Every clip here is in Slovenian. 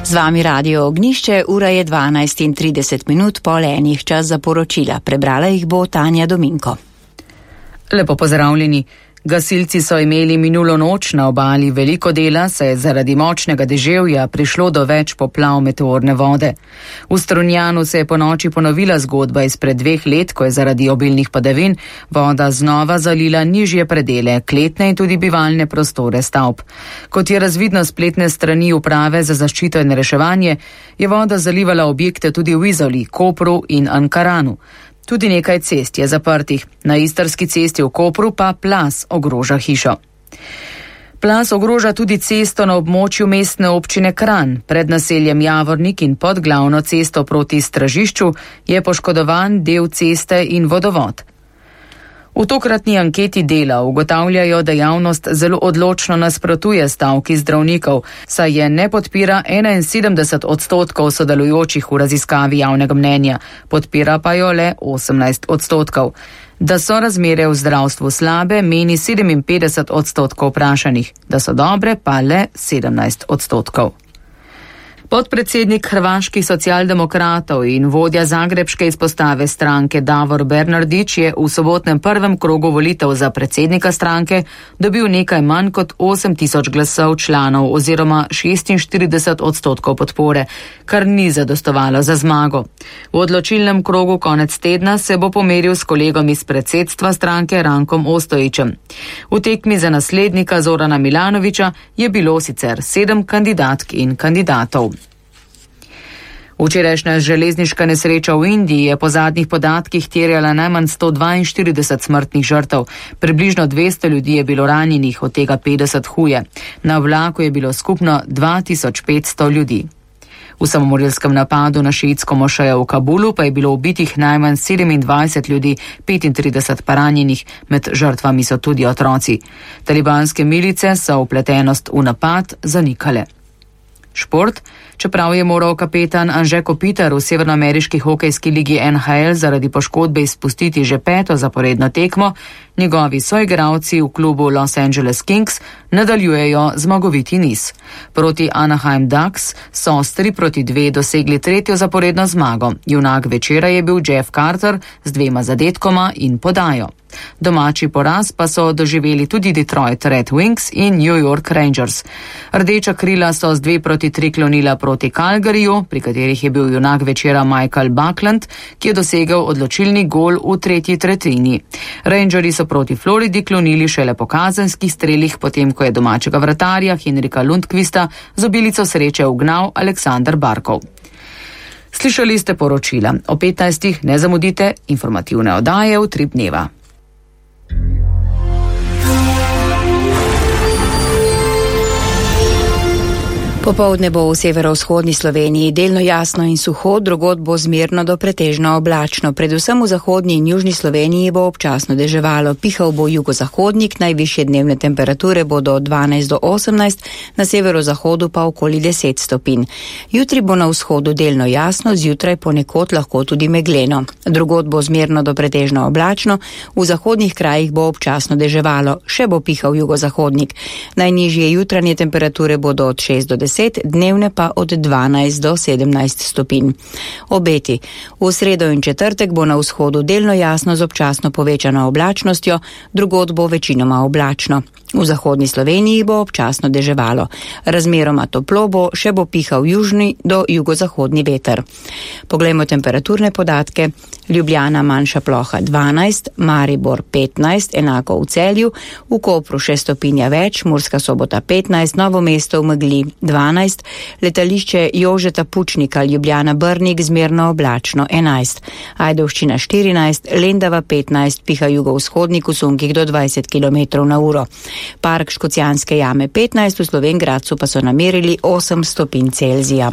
Z vami Radio Ognjišče, ura je 12:30 pol enih, čas za poročila. Prebrala jih bo Tanja Dominko. Lepo pozdravljeni. Gasilci so imeli minulo noč na obali veliko dela, saj je zaradi močnega deževja prišlo do več poplav meteorne vode. V Strunjanu se je po noči ponovila zgodba izpred 2 let, ko je zaradi obilnih padavin voda znova zalila nižje predele, kletne in tudi bivalne prostore stavb. Kot je razvidno spletne strani Uprave za zaščito in reševanje, je voda zalivala objekte tudi v Izoli, Kopru in Ankaranu. Tudi nekaj cest je zaprtih. Na Istrski cesti v Kopru pa plaz ogroža hišo. Plaz ogroža tudi cesto na območju mestne občine Kranj. Pred naseljem Javornik in pod glavno cesto proti Stražišču je poškodovan del ceste in vodovod. V tokratni anketi Dela ugotavljajo, da javnost zelo odločno nasprotuje stavki zdravnikov, saj je ne podpira 71% sodelujočih v raziskavi javnega mnenja, podpira pa jo le 18%. Da so razmere v zdravstvu slabe, meni 57% vprašanih, da so dobre pa le 17%. Podpredsednik hrvaških socialdemokratov in vodja zagrebške izpostave stranke Davor Bernardić je v sobotnem prvem krogu volitev za predsednika stranke dobil nekaj manj kot 8000 glasov članov oziroma 46% podpore, kar ni zadostovalo za zmago. V odločilnem krogu konec tedna se bo pomeril s kolegom iz predsedstva stranke Rankom Ostojićem. V tekmi za naslednika Zorana Milanovića je bilo sicer 7 kandidatk in kandidatov. Včerajšnja železniška nesreča v Indiji je po zadnjih podatkih terjala najmanj 142 smrtnih žrtev. Približno 200 ljudi je bilo ranjenih, od tega 50 huje. Na vlaku je bilo skupno 2500 ljudi. V samomorilskem napadu na šiitsko mošejo v Kabulu pa je bilo ubitih najmanj 27 ljudi, 35 pa ranjenih, med žrtvami so tudi otroci. Talibanske milice so vpletenost v napad zanikale. Šport. Čeprav je moral kapetan Anže Kopitar v severnoameriški hokejski ligi NHL zaradi poškodbe izpustiti že 5. zaporedno tekmo, njegovi soigralci v klubu Los Angeles Kings nadaljujejo zmagoviti niz. Proti Anaheim Ducks so s 3-2 dosegli 3. zaporedno zmago. Junak večera je bil Jeff Carter z 2 zadetkoma in podajo. Domači poraz pa so doživeli tudi Detroit Red Wings in New York Rangers. Rdeča krila so z 2-3 klonila proti Calgaryju, pri katerih je bil junak večera Michael Buckland, ki je dosegel odločilni gol v 3. tretjini. Rangerji so proti Floridi klonili šele po kazenskih strelih, potem ko je domačega vratarja Henrika Lundqvista z obilico sreče ugnal Aleksander Barkov. Slišali ste poročila. O 15. ne zamudite informativne oddaje v 3 dneva. Popoldne bo v severovzhodni Sloveniji delno jasno in suho, drugod bo zmerno do pretežno oblačno. Predvsem v zahodni in južni Sloveniji bo občasno deževalo. Pihal bo jugozahodnik, najvišje dnevne temperature bodo od 12 do 18, na severozahodu pa okoli 10 stopinj. Jutri bo na vzhodu delno jasno, zjutraj ponekod lahko tudi megleno. Drugod bo zmerno do pretežno oblačno, v zahodnih krajih bo občasno deževalo. Še bo pihal jugozahodnik. Najnižje jutranje temperature bodo od 6 do 10, dnevne pa od 12 do 17 stopinj. Obeti. V sredo in četrtek bo na vzhodu delno jasno z občasno povečano oblačnostjo, drugod bo večinoma oblačno. V zahodni Sloveniji bo občasno deževalo. Razmeroma toplo bo, še bo pihal južni do jugozahodni veter. Poglejmo temperaturne podatke. Ljubljana manjša ploha 12, Maribor 15, enako v Celju, v Kopru 6 stopinja več, Murska Sobota 15, Novo mesto v megli 12, letališče Jožeta Pučnika, Ljubljana Brnik zmerno oblačno 11, Ajdovščina 14, Lendava 15, piha jugovzhodnik v sunkih do 20 km/h. Park Škocjanske jame 15, v Slovenj Gradcu pa so namerili 8 stopinj Celzija.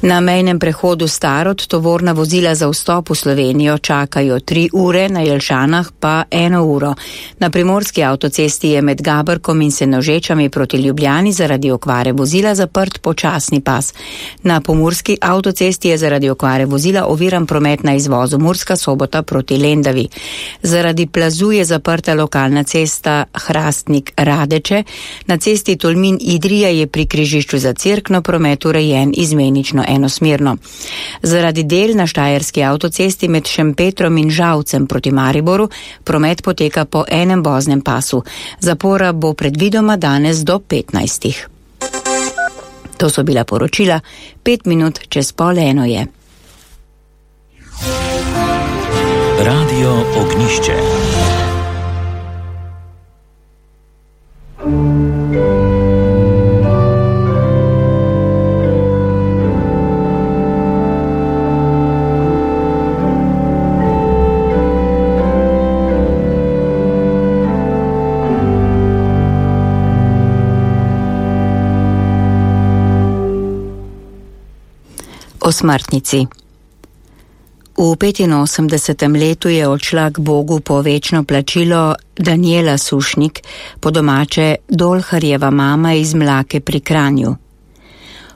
Na mejnem prehodu Starod tovorna vozila za vstop v Slovenijo čakajo 3 ure, na Jelšanah pa 1 uro. Na primorski avtocesti je med Gabrkom in Senožečami proti Ljubljani zaradi okvare vozila zaprt počasni pas. Na pomurski avtocesti je zaradi okvare vozila oviran promet na izvozu Murska Sobota proti Lendavi. Zaradi plazu je zaprta lokalna cesta Hrastnik-Radeče. Na cesti Tolmin-Idrija je pri križišču za Cerkno promet urejen izmenično enosmerno. Zaradi del na štajerski avtocesti med Šempetrom in Žalcem proti Mariboru promet poteka po enem voznem pasu. Zapora bo predvidoma danes do 15. To so bila poročila, 5 minut čez 12:30 je. Radio Ognišče. O smrtnici. V 85. letu je odšla k Bogu po večno plačilo Danijela Sušnik, po domače Dolharjeva mama iz Mlake pri Kranju.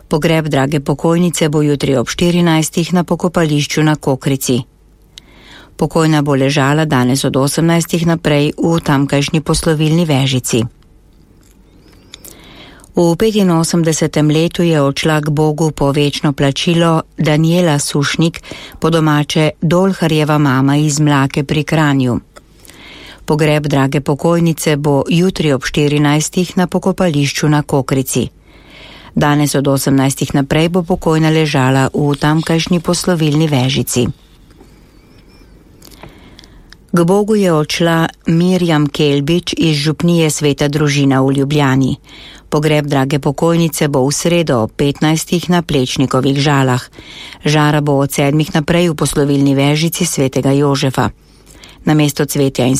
Pogreb drage pokojnice bo jutri ob 14. na pokopališču na Kokrici. Pokojna bo ležala danes od 18. naprej v tamkajšnji poslovilni Vežici. V 85. letu je odšla k Bogu po večno plačilo Danijela Sušnik, po domače Dolharjeva mama iz Mlake pri Kranju. Pogreb drage pokojnice bo jutri ob 14. na pokopališču na Kokrici. Danes od 18. naprej bo pokojna ležala v tamkajšnji poslovilni Vežici. K Bogu je odšla Mirjam Kelbič iz župnije Sveta družina v Ljubljani. Pogreb drage pokojnice bo v sredo ob 15. na Plečnikovih Žalah. Žara bo od 7. naprej v poslovilni Vežici Svetega Jožefa. Namesto cvetja in